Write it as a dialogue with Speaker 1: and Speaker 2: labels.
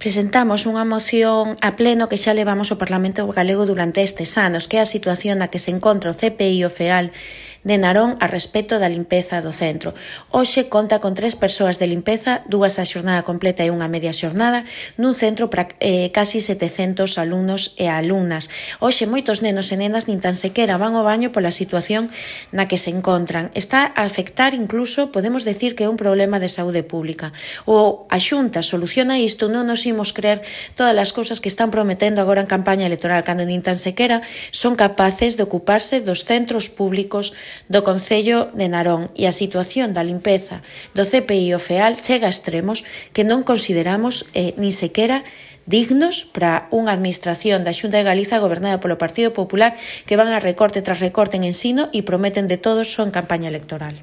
Speaker 1: Presentamos unha moción a pleno que xa levamos ao Parlamento Galego durante estes anos, que é a situación na que se encontra o CPI e o FEAL de Narón a respecto da limpeza do centro. Hoxe conta con 3 persoas de limpeza, 2 a xornada completa e unha media xornada, nun centro para casi 700 alumnos e alumnas. Hoxe moitos nenos e nenas nin tan sequera van ao baño pola situación na que se encontran. Está a afectar incluso, podemos decir que é un problema de saúde pública. O a Xunta soluciona isto, non nos imos creer todas as cousas que están prometendo agora en campaña electoral, cando nin tan sequera son capaces de ocuparse dos centros públicos do Concello de Narón, e a situación da limpeza do CPI e o FEAL chega a extremos que non consideramos nin sequera dignos para unha administración da Xunta de Galiza gobernada polo Partido Popular, que van a recorte tras recorte en ensino e prometen de todo só en campaña electoral.